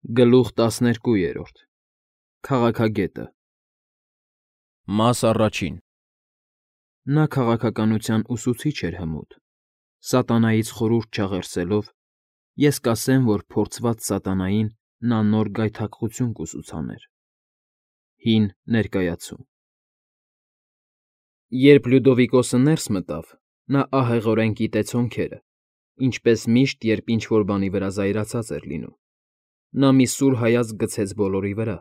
Գլուխ 12։ Քաղաքագետը Մաս առաջին Նա քաղաքականության ուսուցիչ էր հմուտ, սատանայից խորհուրդ չաղերսելով, ես կասեմ, որ փորձված սատանային նա նոր գայթակղություն կուսուցաներ։ Հին ներկայացում Երբ Լյուդովիկոսը ներս մտավ, նա ահեղորեն գիտեց հոնքերը, ինչպես միշտ, երբ ինչ֊որ բանի վրա զայրացած էր լինում։ Նա մի սուր հայացք գցեց բոլորի վրա,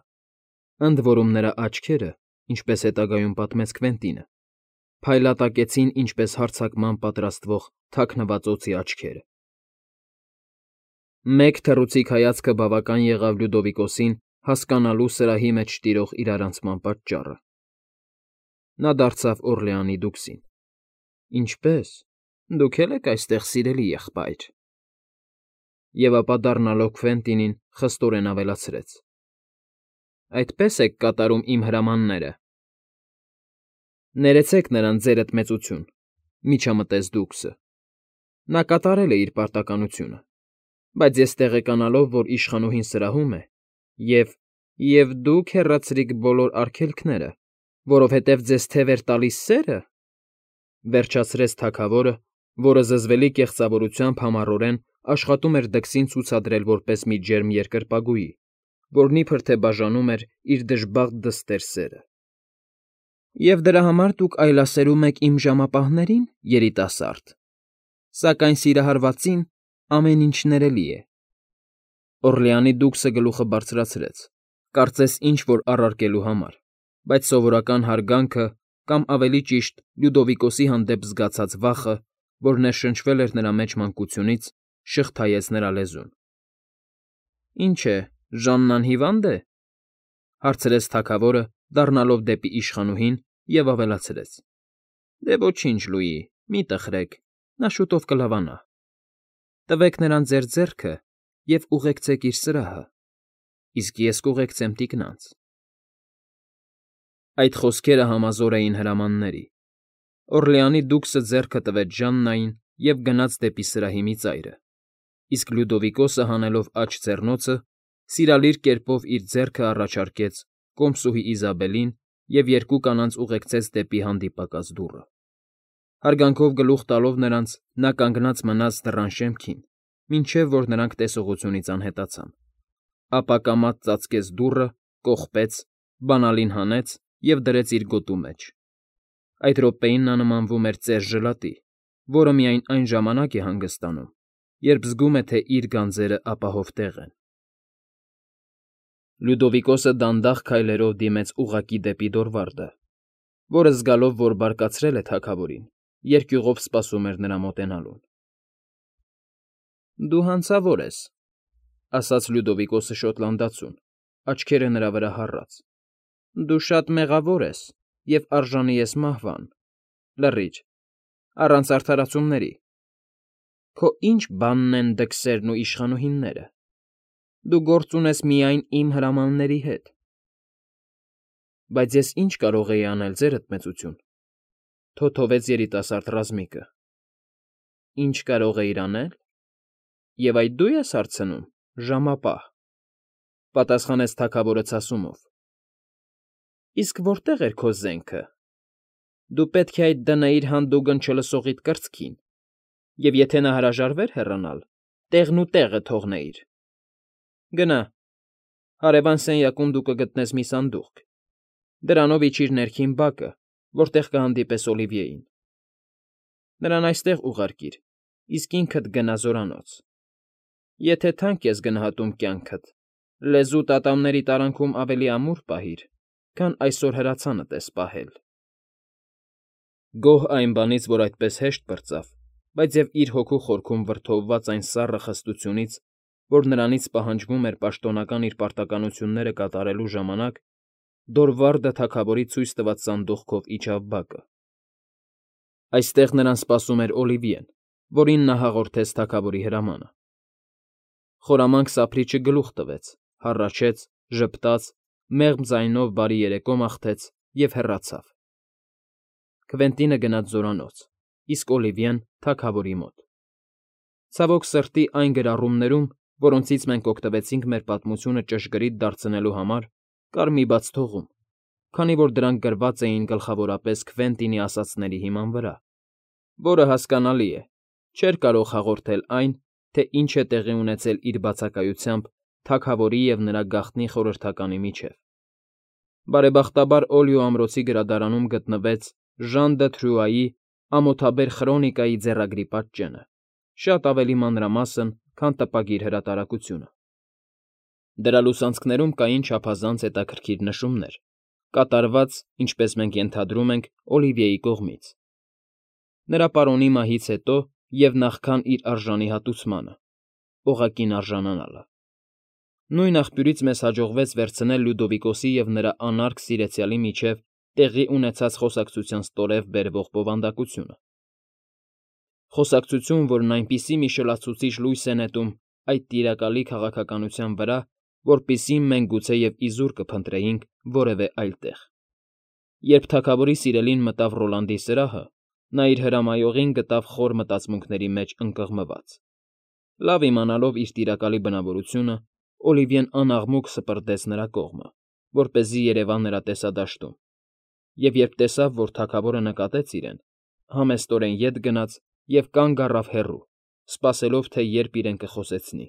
ընդ որում նրա աչքերը, ինչպես հետագայում պատմեց Քվենտինը, փայլատակեցին ինչպես հարձակման պատրաստվող թաքնված օձի աչքերը։ Մեկ թռուցիկ հայացքը բավական եղավ Լյուդովիկոսին հասկանալու սրահի մեջ տիրող իրարանցման պատճառը։ Նա դարձավ Օռլեանի դուքսին։ Ինչպե՞ս, դուք էլ եք այստեղ, սիրելի եղբայր։ Եվ ապա դառնալով Քվենտինին խստորեն ավելացրեց. Այդպե՞ս եք կատարում իմ հրամանները։ Ներեցեք նրան, ձերդ մեծություն, միջամտեց դուքսը։ Նա կատարել է իր պարտականությունը, բայց ես տեղեկանալով, որ իշխանուհին սրահում է, և դուք հեռացրիք բոլոր արգելքները, որովհետև ձեզ թև էր տալիս սերը, վերջացրեց թագավորը, որը զզվելի կեղծավորությամբ համառորեն աշխատում էր դքսին ցուցադրել որպես մի ջերմ երկրպագուի, որն իբր թե բաժանում էր իր դժբախտ դստեր սերը։ Եվ դրա համար դուք այլասերում եք իմ ժամապահներին, երիտասարդ, սակայն սիրահարվածին ամեն ինչ ներելի է։ Օռլեանի դուքսը գլուխը բարձրացրեց, կարծես ինչ֊որ առարկելու համար, բայց սովորական հարգանքը կամ, ավելի ճիշտ, Լյուդովիկոսի հանդեպ զգացած վախը, որ ներշնչվել էր նրա մեջ մանկությունից, շղթայեց նրա լեզուն։ Ինչ է, Ժաննան հիվա՞նդ է,֊ հարցրեց թագավորը, դառնալով դեպի իշխանուհին և ավելացրեց. Դե ոչինչ, Լուի, մի տխրեք, նա շուտով կլավանա։ Տվեք նրան ձեր ձեռքը և ուղեկցեք իր սրահը, իսկ ես կուղեկցեմ տիկնանց։ Այդ խոսքերը համազոր էին հրամանների։ Օռլեանի դուքսը ձեռքը տվեց Ժաննային և գնաց դեպի սրահի մի ծայրը, իսկ Լյուդովիկոսը հանելով աջ ձեռնոցը, սիրալիր կերպով իր ձեռքը առաջարկեց կոմսուհի Իզաբելին և երկու կանանց ուղեկցեց դեպի հանդիպակաց դուռը։ Հարգանքով գլուխ տալով նրանց՝ նա կանգնած մնաց դռան շեմքին, մինչև որ նրանք տեսողությունից անհետացան, ապա կամաց ծածկեց դուռը, կողպեց, բանալին հանեց և դրեց իր գոտու մեջ։ Այդ րոպեին նա նմանվում էր ծեր ժլատի, որը միայն այն ժամանակ է հանգստանում, երբ զգում է, թե իր գանձերը ապահով տեղ են։ Լյուդովիկոսը դանդաղ քայլերով դիմեց ուղղակի դեպի Դորվարդը, որը զգալով, որ բարկացրել է թագավորին, երկյուղով սպասում էր նրա մոտենալուն։ Դու հանցավոր ես,֊ ասաց Լյուդովիկոսը շոտլանդացուն, աչքերը նրա վրա հառած։ Դու շատ մեղավոր ես և արժանի ես մահվան, լռիչ, առանց արդարացումների։ Քո ի՞նչ բանն են դքսերն ու իշխանուհիները։ Դու գործ ունես միայն իմ հրամանների հետ։ Բայց ես ի՞նչ կարող էի անել, ձերդ մեծություն,֊ թոթովեց երիտասարդ ռազմիկը։ Ինչ կարող էիր անել։ Եվ այդ դու ես հարցնում, ժամապահ,֊ պատասխանեց թագավորը ցասումով։ Իսկ որտե՞ղ էր քո զենքը։ Դու պետք է այդ դնեիր հանդուգն չլսողիդ կրծքին, և եթե նա հրաժարվեր հեռանալ, տեղն ու տեղը թողնեիր։ Գնա, հարևան սենյակում դու կգտնես մի սանդուղք, դրանով իջիր ներքին բակը, որտեղ կհանդիպես Օլիվիեին։ Նրան այստեղ ուղարկիր, իսկ ինքդ գնա զորանոց։ Եթե թանկ ես գնահատում կյանքդ, լեզուդ ատամների տարանքում ավելի ամուր պահիր, քան այսօր հրացանդ ես պահել։ Գոհ այն բանից, որ այդպես հեշտ պրծավ, բայց և իր հոգու խորքում վրդովված այն սառը խստությունից, որ նրանից պահանջվում էր պաշտոնական իր պարտականությունները կատարելու ժամանակ, Դորվարդը թագավորի ցույց տված սանդուղքով իջավ բակը։ Այստեղ նրան սպասում էր Օլիվիեն, որին նա հաղորդեց թագավորի հրամանը։ Խորամանկ սափրիչը գլուխ տվեց, հառաչեց, ժպտաց, մեղմ ձայնով բարի երեկո մաղթեց և հեռացավ։ Քվենտինը գնաց զորանոց, իսկ Օլիվիեն՝ թագավորի մոտ։ Ցավոք սրտի, այն գրառումներում, որոնցից մենք օգտվեցինք մեր պատմությունը ճշգրիտ դարձնելու համար, կար մի բաց թողում, քանի որ դրանք գրված էին գլխավորապես Քվենտինի ասածների հիման վրա, որը, հասկանալի է, չէր կարող հաղորդել այն, թե ինչ է տեղի ունեցել իր բացակայությամբ թագավորի և նրա գաղտնի խորհրդականի միջև։ Բարեբախտաբար Օլիո ամրոցի գրադարանում գտնվեց Ժան դը Թրյուայի ամոթաբեր խրոնիկայի ձեռագրի պատճենը, շատ ավելի մանրամասն, քան տպագիր հրատարակությունը։ Դրա լուսանցքներում կային չափազանց հետաքրքիր նշումներ, կատարված, ինչպես մենք ենթադրում ենք, Օլիվիեի կողմից։ Նրա պարոնի մահից հետո և նախքան իր արժանի հատուցմանը, օղակին արժանանալը։ Նույն աղբյուրից մեզ հաջողվեց վերցնել Լյուդովիկոսի և նրա անարգ սիրեցյալի միջև տեղի ունեցած խոսակցության ստորև բերվող բովանդակությունը։ Խոսակցություն, որն այնպիսի մի շլացուցիչ լույս է նետում այդ տիրակալի քաղաքականության վրա, որպիսի մենք գուցեև իզուր կփնտրեինք որևէ այլ տեղ։ Երբ թագավորի սիրելին մտավ Ռոլանդի սրահը, նա իր հրամայողին գտավ խոր մտածմունքների մեջ ընկղմված։ Լավ իմանալով իր տիրակալի բնավորությունը, Օլիվիեն անաղմուկ սպրդեց նրա կողմը, որպեսզի երևա նրա տեսադաշտում, և երբ տեսավ, որ թագավորը նկատեց իրեն, համեստորեն ետ գնաց և կանգ առավ հեռու, սպասելով, թե երբ իրեն կխոսեցնի։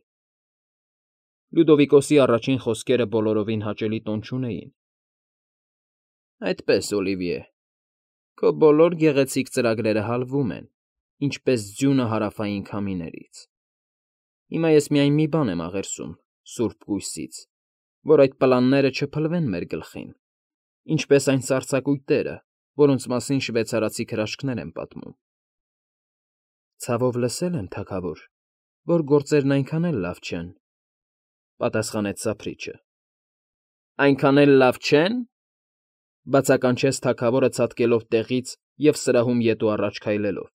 Լյուդովիկոսի առաջին խոսքերը բոլորովին հաճելի տոն չունեին։ Այդպես, Օլիվիե, քո բոլոր գեղեցիկ ծրագրերը հալվում են, ինչպես ձյունը հարավային քամիներից։ Հիմա ես միայն մի բան եմ աղերսում Սուրբ Կույսից, որ այդ պլանները չփլվեն մեր գլխին, ինչպես այն սառցակույտերը, որոնց մասին շվեյցարացի քրաշքներ են պատմում։ Ցավով լսել եմ, թագավոր, որ գործերն այնքան էլ լավ չեն, պատասխանեց սափրիչը։ Այնքան էլ լավ չե՞ն, բացականչեց թագավորը ցատկելով տեղից և սրահում ետ ու առաջ քայլելով։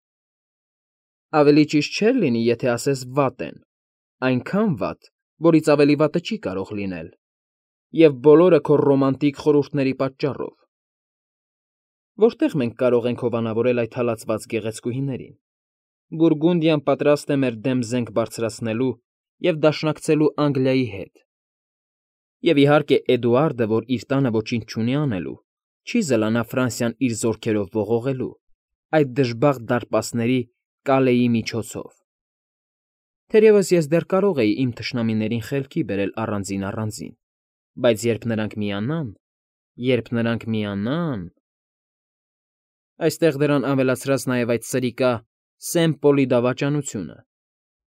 Ավելի ճիշտ չէր լինի, եթե ասես վատ են, այնքան վատ, որից ավելի վատը չի կարող լինել, և բոլորը քո ռոմանտիկ խորհուրդների պատճառով։ Որտե՞ղ մենք կարող ենք հովանավորել այդ հալածված գեղեցկուհիներին։ Բուրգունդիան պատրաստ է մեր դեմ զենք բարձրացնելու և դաշնակցելու Անգլիայի հետ։ Եվ իհարկե Էդուարդը, որ իր տանը ոչինչ չունի անելու, չի զլանա Ֆրանսիան իր զորքերով ողողելու, այդ դժբախտ դարպասների Կալեի միջոցով։ Թերևս ես դեռ կարող էի իմ թշնամիներին խելքի բերել առանձին, բայց երբ նրանք միանան… Այստեղ դրան ավելացրած նաև այդ սրիկա Սեն֊Պոլի դավաճանությունը,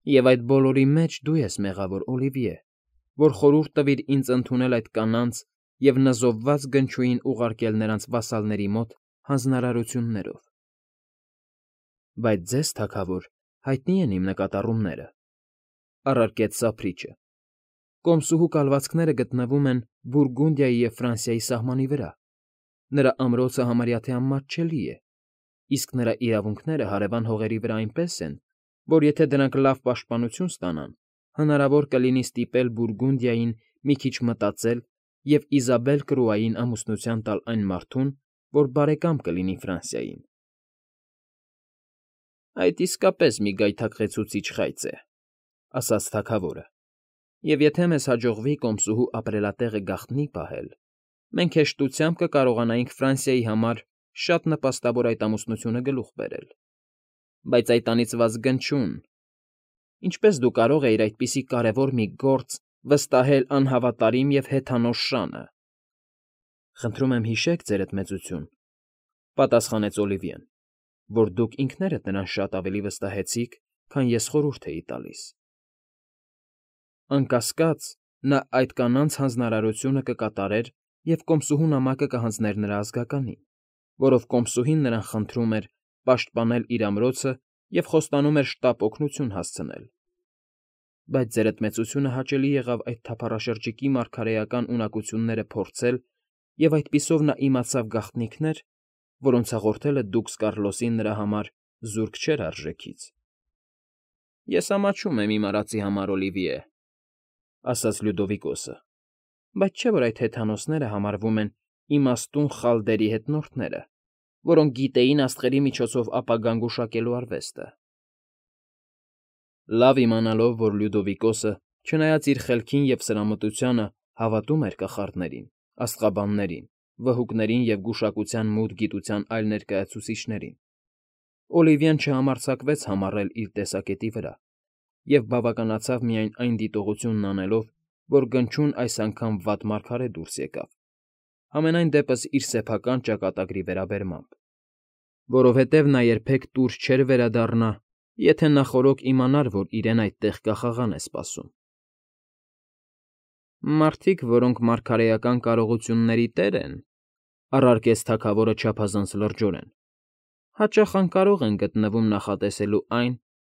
և այդ բոլորի մեջ դու ես մեղավոր, Օլիվիե, որ խորհուրդ տվիր ինձ ընդունել այդ կանանց և նզովված գնչուին ուղարկել նրանց վասալների մոտ հանձնարարություններով։ Բայց ձեզ, թագավոր, հայտնի են իմ նկատառումները, առարկեց սափրիչը։ Կոմսուհու կալվածքները գտնվում են Բուրգունդիայի և Ֆրանսիայի սահմանի վրա, նրա ամրոցը համարյա թե անմատչելի է, իսկ նրա իրավունքները հարևան հողերի վրա այնպես են, որ եթե դրանք լավ պաշտպանություն ստանան, հնարավոր կլինի ստիպել Բուրգունդիային մի քիչ մտածել և Իզաբել Կրուային ամուսնության տալ այն մարդուն, որ բարեկամ կլինի Ֆրանսիային։ Այդ իսկապես մի գայթակղեցուցիչ խայծ է, ասաց թագավորը, և եթե մեզ հաջողվի կոմսուհու ապրելատեղը գաղտնի պահել, մենք հեշտությամբ կկարողանայինք Ֆրանսիայի համար շատ նպաստավոր այդ ամուսնությունը գլուխ բերել։ Բայց այդ անիծված գնչուն… Ինչպե՞ս դու կարող էիր այդպիսի կարևոր մի գործ վստահել անհավատարիմ և հեթանոս Շանը։ Խնդրում եմ հիշեք, ձերդ մեծություն, պատասխանեց Օլիվիեն, որ դուք ինքներդ նրան շատ ավելի վստահեցիք, քան ես խորհուրդ էի տալիս։ Անկասկած, նա այդ կանանց հանձնարարությունը կկատարեր և կոմսուհու նամակը կհանձներ նրա ազգականին, որով կոմսուհին նրան խնդրում էր պաշտպանել իր ամրոցը և խոստանում էր շտապ օգնություն հասցնել։ Բայց ձերդ մեծությունը հաճելի եղավ այդ թափառաշրջիկի մարգարեական ունակությունները փորձել, և այդպիսով նա իմացավ գաղտնիքներ, որոնց հաղորդելը դուքս Կառլոսին նրա համար զուրկ չէր արժեքից։ Ես ամաչում եմ իմ արածի համար, Օլիվիե, ասաց Լյուդովիկոսը, բայց չէ՞ որ այդ հեթանոսները համարվում են իմաստուն խալդերի հետնորդները, որոնք գիտեին աստղերի միջոցով ապագան գուշակելու արվեստը։ Լավ իմանալով, որ Լյուդովիկոսը Չնայած իր խելքին և սրամտությանը հավատում էր կախարդներին, աստղաբաններին, վհուկներին և գուշակության մութ գիտության այլ ներկայացուցիչներին, Օլիվիան չհամարձակվեց համառել իր տեսակետի վրա և բավականացավ միայն այն դիտողությունն անելով, որ գնչուն այս անգամ վատ մարգարե դուրս եկավ, համենայն դեպս իր սեփական ճակատագրի վերաբերմամբ, որովհետև նա երբեք տուր չէր վերադառնա, եթե նախօրոք իմանար, որ իրեն այդտեղ կախաղան է սպասում։ «Մարդիկ, որոնք մարգարեական կարողությունների տեր են,֊ առարկեց թագավորը չափազանց լրջորեն,֊ հաճախ անկարող են գտնվում նախատեսելու այն,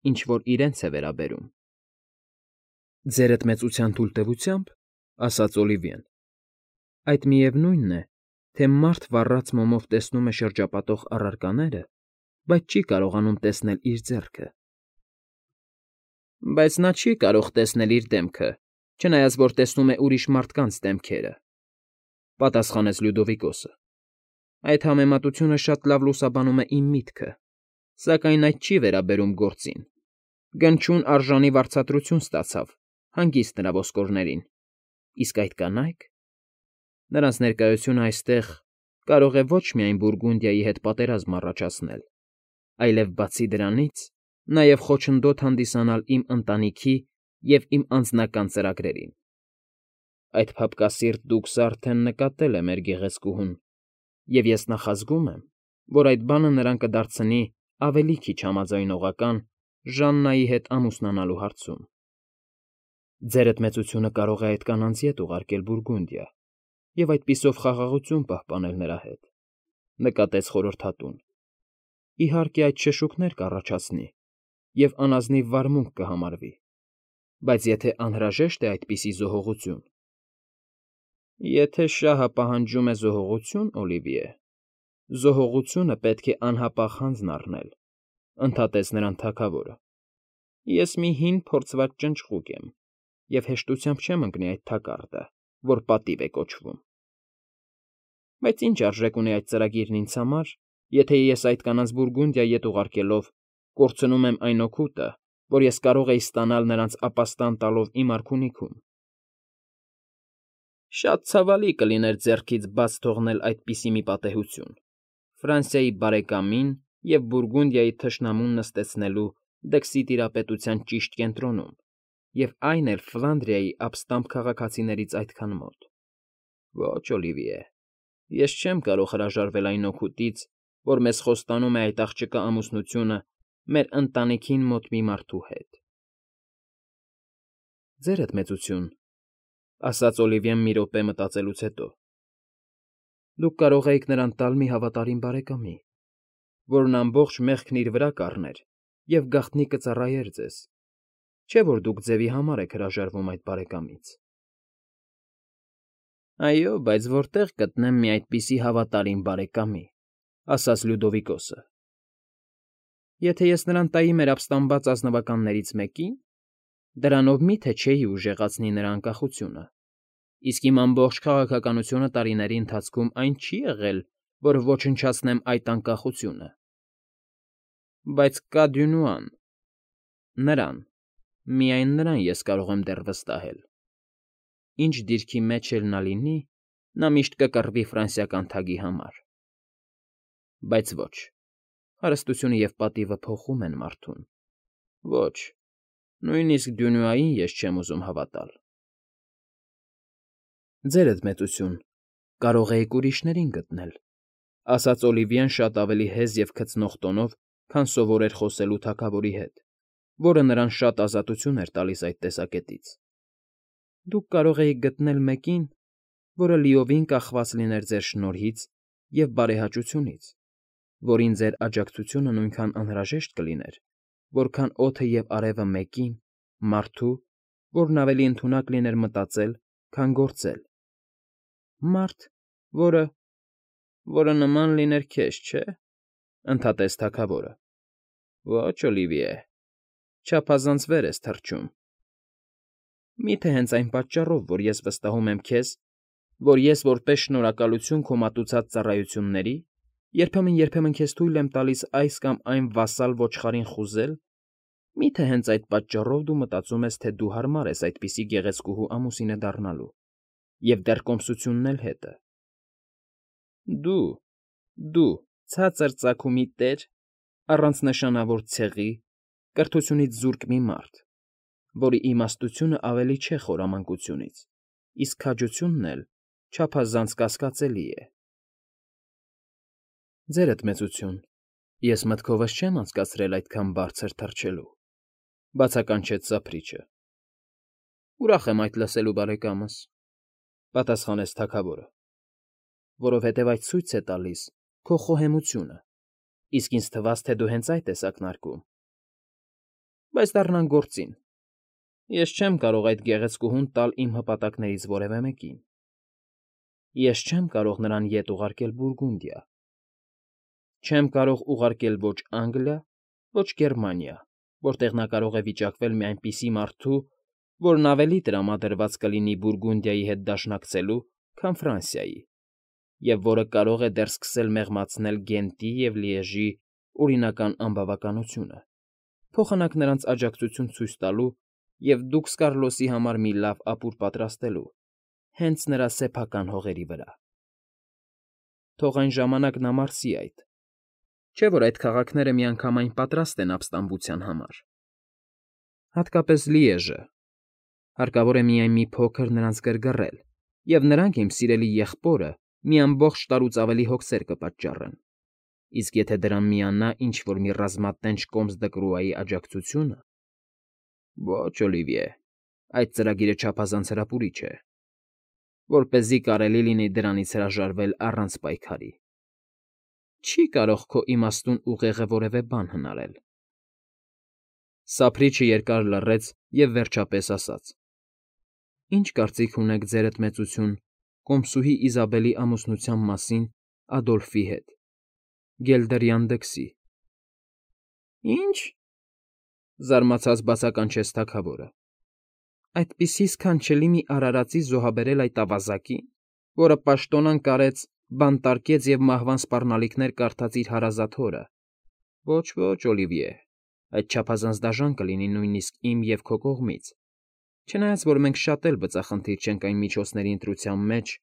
ինչ որ իրենց է վերաբերում»։ «Ձերդ մեծության թույլտվությամբ,֊ ասաց Օլիվիեն,֊ այդ միևնույնն է, թե մարդ վառած մոմով տեսնում է շրջապատող առարկաները, բայց չի կարողանում տեսնել իր ձեռքը»։ «Բայց նա չի կարող տեսնել իր դեմքը, չնայած որ տեսնում է ուրիշ մարդկանց դեմքերը,֊ պատասխանեց Լյուդովիկոսը։֊ Այդ համեմատությունը շատ լավ լուսաբանում է իմ միտքը, սակայն այդ չի վերաբերում գործին. գնչուն արժանի վարձատրություն ստացավ, հանգիստ նրա ոսկորներին, իսկ այդ կանայք… Նրանց ներկայությունը այստեղ կարող է ոչ միայն Բուրգունդիայի հետ պատերազմ առաջացնել, այլև, բացի դրանից, նաև խոչընդոտ հանդիսանալ իմ ընտանիքի և իմ անձնական ծրագրերին։ Այդ փափկասիրտ դուքսն արդեն նկատել է մեր գեղեցկուհուն, և ես նախազգում եմ, որ այդ բանը նրան կդարձնի ավելի քիչ համաձայնողական Ժաննայի հետ ամուսնանալու հարցում։ Ձերդ մեծությունը կարող է այդ կանանց ետ ուղարկել Բուրգունդիա և այդպիսով խաղաղություն պահպանել նրա հետ,֊ նկատեց խորհրդատուն։ Իհարկե, այդ շշուկներ կառաջացնի և անազնիվ վարմունք կհամարվի, բայց եթե անհրաժեշտ է այդպիսի զոհողություն… Եթե շահը պահանջում է զոհողություն, Օլիվիե, զոհողությունը պետք է անհապաղ հանձն առնել,֊ ընդհատեց նրան թագավորը։ Ես մի հին փորձված ճնճղուկ եմ և հեշտությամբ չեմ ընկնի այդ թակարդը, որ պատիվ է կոչվում։ Բայց ինչ արժեք ունի այդ ծրագիրն ինձ համար, եթե ես այդ կանանց Բուրգունդիա ետ ուղարկելով կորցնում եմ այն օգուտը, որ ես կարող էի ստանալ նրանց ապաստան տալով իմ արքունիքում։ Շատ ցավալի կլիներ ձեռքից բաց թողնել այդպիսի մի պատեհություն՝ Ֆրանսիայի բարեկամին և Բուրգունդիայի թշնամուն նստեցնելու Դքսի տիրապետության ճիշտ կենտրոնում, և այն էլ Ֆլանդրիայի ապստամբ քաղաքացիներից այդքան մոտ։ Ոչ, Օլիվիե, ես չեմ կարող հրաժարվել այն օգուտից, որ մեզ խոստանում է այդ աղջկա ամուսնությունը մեր ընտանիքին մոտ մի մարդու հետ։ Ձերդ մեծություն,֊ ասաց Օլիվիեն մի րոպե մտածելուց հետո,֊ դուք կարող էիք նրան տալ մի հավատարիմ բարեկամի, որն ամբողջ մեղքն իր վրա կառներ և գաղտնի կծառայեր ձեզ, չէ՞ որ դուք ձևի համար եք հրաժարվում այդ բարեկամից։ Այո, բայց որտե՞ղ գտնեմ մի այդպիսի հավատարիմ բարեկամի,֊ ասաց Լյուդովիկոսը։ Եթե ես նրան տայի մեր ապստամբած ազնվականներից մեկին, դրանով մի՞թե չէի ուժեղացնի նրա անկախությունը, իսկ իմ ամբողջ քաղաքականությունը տարիների ընթացքում այն չի եղել, որ ոչնչացնեմ այդ անկախությունը։ Բայց կա Դյունուան… Նրան, միայն նրան ես կարող եմ դեռ վստահել։ Ինչ դիրքի մեջ էլ նա լինի, նա միշտ կկռվի ֆրանսիական թագի համար։ Բայց ոչ, հարստությունը և պատիվը փոխում են մարդուն։ Ոչ, նույնիսկ Դյունուային ես չեմ ուզում հավատալ։ Ձերդ մեծություն, կարող էիք ուրիշներին գտնել,֊ ասաց Օլիվիեն շատ ավելի հեզ և քծնող տոնով, քան սովոր էր խոսելու թագավորի հետ, որը նրան շատ ազատություն էր տալիս այդ տեսակետից։ Դուք կարող էիք գտնել մեկին, որը լիովին կախված լիներ ձեր շնորհից և բարեհաճությունից, որին ձեր աջակցությունը նույնքան անհրաժեշտ կլիներ, որքան օդը և արևը մեկին, մարդու, որն ավելի ընդունակ լիներ մտածել, քան գործել։ Մարդ, որը նման լիներ քեզ, չէ՞, ընդհատեց թագավորը։ Ոչ, Օլիվիե, չափազանց վեր ես թռչում։ Մի՞թե հենց այն պատճառով, որ ես վստահում եմ քեզ, որ ես որպես շնորհակալություն քո մատուցած ծառայությունների երբեմն քեզ թույլ եմ տալիս այս կամ այն վասալ ոչխարին խուզել, Մի՞թե հենց այդ պատճառով դու մտածում ես, թե դու հարմար ես այդպիսի գեղեցկուհու ամուսինը դառնալու, և դեռ կոմսությունն էլ հետը։ Դու, ցածր ծագումի տեր, առանց նշանավոր ցեղի, կրթությունից զուրկ մի մարդ, որի իմաստությունը ավելի չէ խորամանկությունից, իսկ քաջությունն էլ չափազանց կասկածելի է։ Ձերդ մեծություն, ես մտքովս չեմ անցկացրել այդքան բարձր թռչելու, բացականչեց սափրիչը։ Ուրախ եմ այդ լսելու, բարեկամս, պատասխանեց թագավորը, որովհետև այդ ցույց է տալիս քո խոհեմությունը, իսկ ինձ թվաց, թե դու հենց այդ ես ակնարկում։ Բայց դառնանք գործին։ Ես չեմ կարող այդ գեղեցկուհուն տալ իմ հպատակներից որևէ մեկին։ Ես չեմ կարող նրան ետ ուղարկել Բուրգունդիա։ Չեմ կարող ուղարկել ոչ Անգլիա, ոչ Գերմանիա, որտեղ նա կարող է վիճակվել մի այնպիսի մարդու, որն ավելի տրամադրված կլինի Բուրգունդիայի հետ դաշնակցելու, քան Ֆրանսիայի, և որը կարող է դեռ սկսել մեղմացնել Գենտի և Լիեժի օրինական անբավականությունը, փոխանակ նրանց աջակցություն ցույց տալու և դուքս Կարլոսի համար մի լավ ապուր պատրաստելու, հենց նրա սեփական հողերի վրա։ Թող այն ժամանակ նա մարսի այդ, չէ՞ որ այդ քաղաքները միանգամայն պատրաստ են ապստամբության համար։ Հատկապես Լիեժը։ Հարկավոր է միայն մի փոքր նրանց գրգռել, և նրանք, իմ սիրելի եղբորը, մի ամբողջ տարուց ավելի հոգսեր կպատճառեն, իսկ եթե դրան միանա ինչ֊որ մի ռազմատենչ կոմս Դկրուայի աջակցությունը… Ոչ, Օլիվիե, այդ ծրագիրը չափազանց հրապուրիչ է, որպեսզի կարելի լինի դրանից հրաժարվել առանց պայքարի։ Չի կարող քո իմաստուն ուղեղը որևէ բան հնարել։ Սափրիչը երկար լռեց և վերջապես ասաց. Ինչ կարծիք ունեք, ձերդ մեծություն, կոմսուհի Իզաբելի ամուսնության մասին Ադոլֆի հետ, գելդերյան դքսի։ Ի՞նչ,֊ զարմացած բացականչեց թագավորը։ Այդպիսի սքանչելի մի արարածի զոհաբերել այդ ավազակին, որը պաշտոնան կարեց, բանտարկեց և մահվան սպառնալիքներ կարդաց իր հարազատ հորը… Ոչ, Օլիվիե, այդ չափազանց դաժան կլինի նույնիսկ իմ և քո կողմից, չնայած որ մենք շատ էլ բծախնդիր չենք այն միջոցների ընտրության մեջ,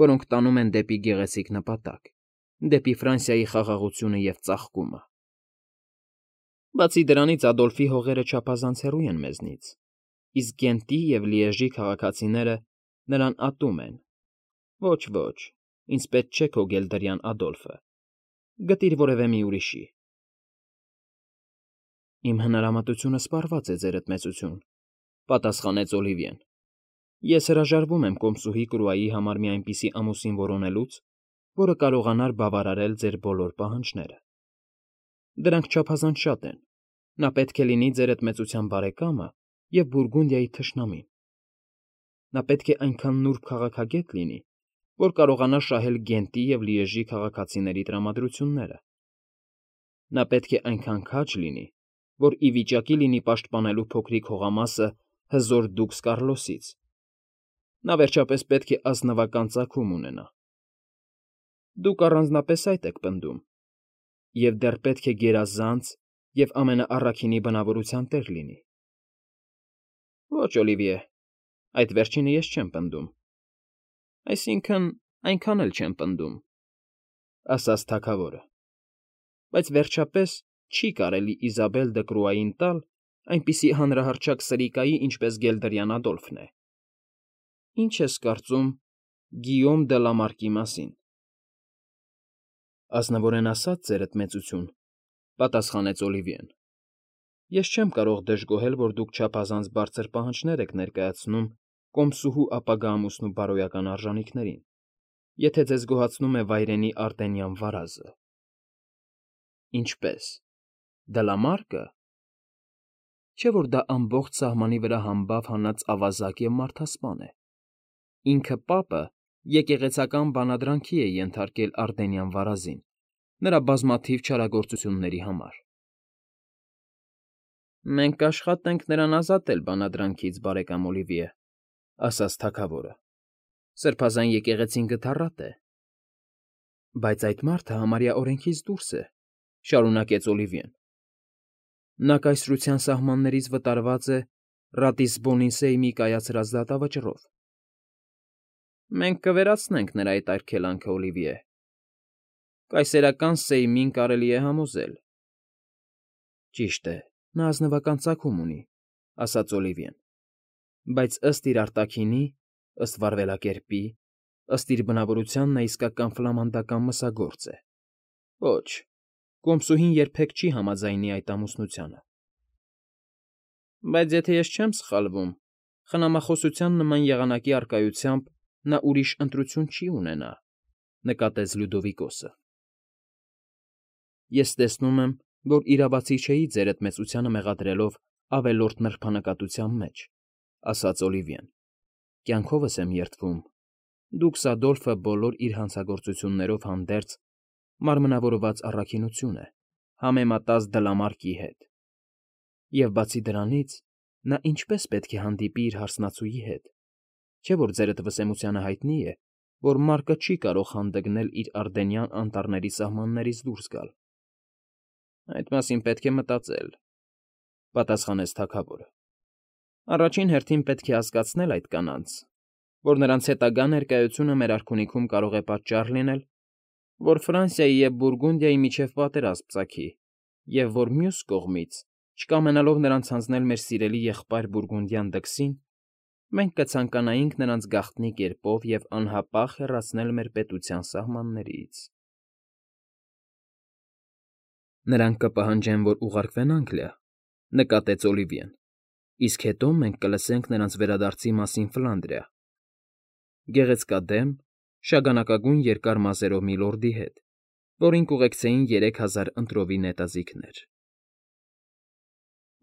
որոնք տանում են դեպի գեղեցիկ նպատակ, դեպի Ֆրանսիայի խաղաղությունը և ծաղկումը։ Բացի դրանից Ադոլֆի հողերը չափազանց հեռու են մեզնից, իսկ Գենտի և Լիեժի քաղաքացիները նրան ատում են։ Ոչ, ինձ պետք չէ քո գելդերյան Ադոլֆը, գտիր որևէ մի ուրիշի։ Իմ հնարամտությունը սպառված է, ձերդ մեծություն, պատասխանեց Օլիվիեն։ Ես հրաժարվում եմ կոմսուհի Կրուայի համար մի այնպիսի ամուսին որոնելուց, որը կարողանար բավարարել ձեր բոլոր պահանջները։ Դրանք չափազանց շատ են։ Նա պետք է լինի ձերդ մեծության բարեկամը և Բուրգունդիայի թշնամին։ Նա պետք է այնքան նուրբ քաղաքագետ լինի, որ կարողանա շահել Գենտի և Լիեժի քաղաքացիների տրամադրությունները։ Նա պետք է այնքան քաջ լինի, որ ի վիճակի լինի պաշտպանելու փոքրիկ հողամասը հզոր դուքս Կարլոսից։ Նա, վերջապես, պետք է ազնվական ծագում ունենա։ Դուք առանձնապես այդ եք պնդում, և դեռ պետք է գերազանց և ամենաառաքինի բնավորության տեր լինի։ Ոչ, Օլիվիե, այդ վերջինը ես չեմ պնդում։ Այսինքն՝ այնքան էլ չեմ պնդում, ասաց թագավորը, բայց վերջապես չի կարելի Իզաբել Դկրուային տալ այնպիսի հանրահռչակ սրիկայի, ինչպես գելդերյան Ադոլֆն է։ Ինչ ես կարծում Գիյոմ դը Լա Մարկի մասին։ Ազնվորեն ասած, ձերդ մեծություն, պատասխանեց Օլիվիեն, ես չեմ կարող դժգոհել, որ դուք չափազանց բարձր պահանջներ եք ներկայացնում կոմսուհու ապագա ամուսնու բարոյական արժանիքներին, եթե ձեզ գոհացնում է վայրենի Արտենյան վարազը։ Ինչպե՞ս, Դլամարկը։ Չէ՞ որ դա ամբողջ սահմանի վրա համբավ հանած ավազակ և մարդասպան է։ Ինքը պապը եկեղեցական բանադրանքի է ենթարկել Արտենյան վարազին նրա բազմաթիվ չարագործությունների համար։ Մենք կաշխատենք նրան ազատել բանադրանքից, բարեկամ Օլիվիե, ասաց թագավորը։ Սրբազան եկեղեցին գթառատ է։ Բայց այդ մարդը համարյա օրենքից դուրս է, շարունակեց Օլիվիեն։ Նա կայսրության սահմաններից վտարված է Ռատիսբոնին Սեյմի կայացրած դատավճռով։ Մենք կվերացնենք նրա այդ արգելանքը, Օլիվիե։ Կայսերական Սեյմին կարելի է համոզել։ Ճիշտ է, նա ազնվական ծագում ունի, ասաց Օլիվիեն, բայց ըստ իր արտաքինի, ըստ վարվելակերպի, ըստ իր բնավորության նա իսկական ֆլամանդական մսագործ է։ Ոչ, կոմսուհին երբեք չի համաձայնի այդ ամուսնությանը։ Բայց եթե ես չեմ սխալվում, խնամախոսության նման եղանակի առկայությամբ նա ուրիշ ընտրություն չի ունենա, նկատեց Լյուդովիկոսը։ Ես տեսնում եմ, որ իրավացի չէի ձերդ մեծությանը մեղադրելով ավելորդ նրբանկատության մեջ, ասաց Օլիվիեն։ Կյանքովս եմ երդվում։ Դուքս Ադոլֆը բոլոր իր հանցագործություններով հանդերձ մարմնավորված առաքինություն է, համեմատած դլամարկի հետ։ Եվ բացի դրանից, նա ինչպես պետք է հանդիպի իր հարսնացուի հետ, չէ՞ որ ձերդ վսեմությանը հայտնի է, որ մարկը չի կարող հանդգնել իր Արդենյան անտառների սահմաններից դուրս գալ։ Այդ մասին պետք է մտածել, պատասխանեց թագավորը։ Առաջին հերթին պետք է հասկացնել այդ կանանց, որ նրանց հետագա ներկայությունը մեր արքունիքում կարող է պատճառ լինել, որ Ֆրանսիայի և Բուրգունդիայի միջև պատերազմ ծագի, և որ մյուս կողմից, չկամենալով նրանց հանձնել մեր սիրելի եղբայր Բուրգունդյան դքսին, մենք կցանկանայինք նրանց գաղտնի կերպով և անհապաղ հեռացնել մեր պետության սահմաններից։ Նրանք կպահանջեն, որ ուղարկվեն Անգլիա, նկատեց Օլիվիեն, իսկ հետո մենք կլսենք նրանց վերադարձի մասին Ֆլանդրիա, գեղեցկադեմ, շագանակագույն երկար մազերով մի լորդի հետ, որին կուղեկցեին 3000 ընտրովի նետաձիգներ։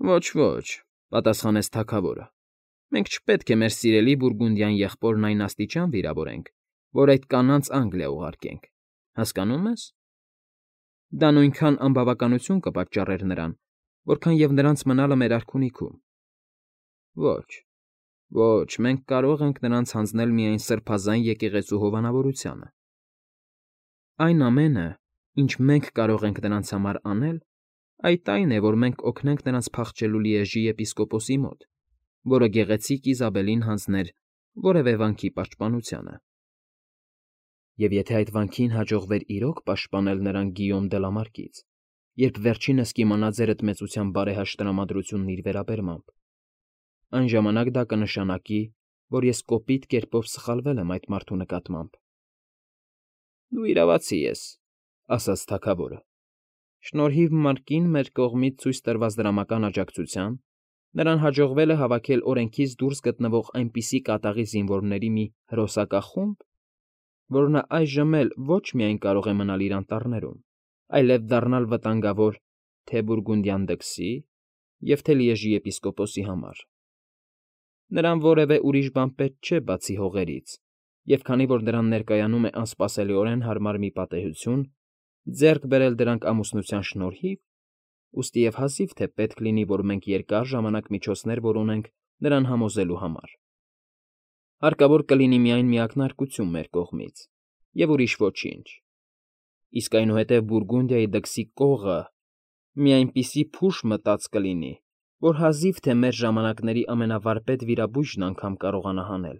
Ոչ, պատասխանեց թագավորը, մենք չպետք է մեր սիրելի Բուրգունդյան եղբորն այն աստիճան վիրավորենք, որ այդ կանանց Անգլիա ուղարկենք, հասկանո՞ւմ ես։ Դա նույնքան անբավականություն կպատճառեր նրան, որքան և նրանց մնալը մեր արքունիքում։ Ոչ, մենք կարող ենք նրանց հանձնել միայն սրբազան եկեղեցու հովանավորությանը։ Այն ամենը, ինչ մենք կարող ենք նրանց համար անել, այդ այն է, որ մենք օգնենք նրանց փախչելու Լիեժի եպիսկոպոսի մոտ, որը գեղեցիկ Իզաբելին հանձներ որևէ վանքի պաշտպանությանը։ Եվ եթե այդ վանքին հաջողվեր իրոք պաշտպանել նրան Գիյոմ Դելամարկից, երբ վերջինս կիմանա ձերդ մեծության բարեհաշտ տրամադրությունն իր վերաբերմամբ, այն ժամանակ դա կնշանակի, որ ես կոպիտ կերպով սխալվել եմ այդ մարդու նկատմամբ։ Դու իրավացի ես, ասաց թագավորը։ Շնորհիվ Մարկին մեր կողմից ցույց տրված դրամական աջակցության նրան հաջողվել է հավաքել օրենքից դուրս գտնվող այնպիսի կատաղի զինվորների մի հրոսակախումբ, որ նա այժմ էլ ոչ միայն կարող է մնալ իր անտառներում, այլև դառնալ վտանգավոր թե Բուրգունդյան դքսի և թե Լիեժի եպիսկոպոսի համար։ Նրան որևէ ուրիշ բան պետք չէ բացի հողերից, և քանի որ նրան ներկայանում է անսպասելիորեն հարմար մի պատեհություն, ձեռք բերել դրանք ամուսնության շնորհիվ, ուստի և հազիվ թե պետք լինի, որ մենք երկար ժամանակ միջոցներ որոնենք նրան համոզելու համար։ Հարկավոր կլինի միայն մի ակնարկություն մեր կողմից, և ուրիշ ոչինչ։ Իսկ այնուհետև Բուրգունդիայի դքսի կողը մի այնպիսի փուշ մտած կլինի, որ հազիվ թե մեր ժամանակների ամենավարպետ վիրաբույժն անգամ կարողանա հանել։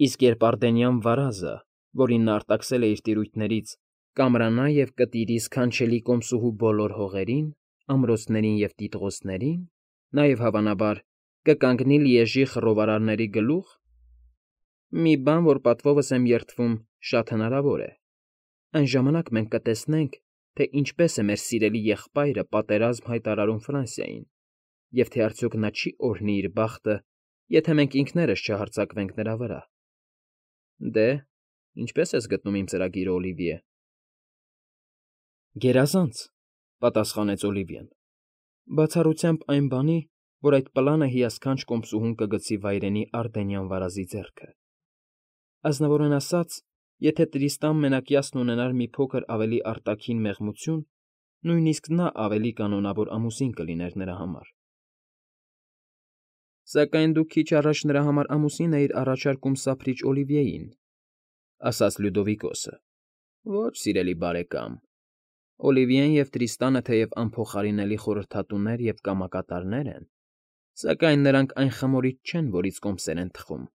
Իսկ երբ Արդենյան վարազը, որին նա արտաքսել է իր տիրույթներից, կամրանա և կտիրի սքանչելի կոմսուհու բոլոր հողերին, ամրոցներին և տիտղոսներին, նաև, հավանաբար, կկանգնի Լիեժի խռովարարների գլուխ, մի բան, որ պատվովս եմ երդվում, շատ հնարավոր է, այն ժամանակ մենք կտեսնենք, թե ինչպես է մեր սիրելի եղբայրը պատերազմ հայտարարում Ֆրանսիային, և թե արդյոք նա չի օրհնի իր բախտը, եթե մենք ինքներս չհարձակվենք նրա վրա։ Դե, ինչպե՞ս ես գտնում իմ ծրագիրը, Օլիվիե։ Գերազանց, պատասխանեց Օլիվիեն, բացառությամբ այն բանի, որ այդ պլանը հիասքանչ կոմսուհուն կգցի վայրենի Արդենյան վարազի ձեռքը։ Ազնվորեն ասած, եթե Տրիստան Մենակյասն ունենար մի փոքր ավելի արտաքին մեղմություն, նույնիսկ նա ավելի կանոնավոր ամուսին կլիներ նրա համար։ Սակայն դուք քիչ առաջ նրա համար ամուսին էիր առաջարկում սափրիչ Օլիվիեին, ասաց Լյուդովիկոսը։ Ոչ, սիրելի բարեկամ, Օլիվիեն և Տրիստանը թեև անփոխարինելի խորհրդատուներ և կամակատարներ են, սակայն նրանք այն խմորիչ չեն, որից կոմսեր են թխում.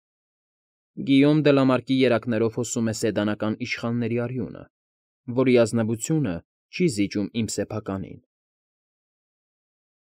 Գիյոմ Դլամարկի երակներով հոսում է սեդանական իշխանների արյունը, որի ազնվությունը չի զիջում իմ սեփականին։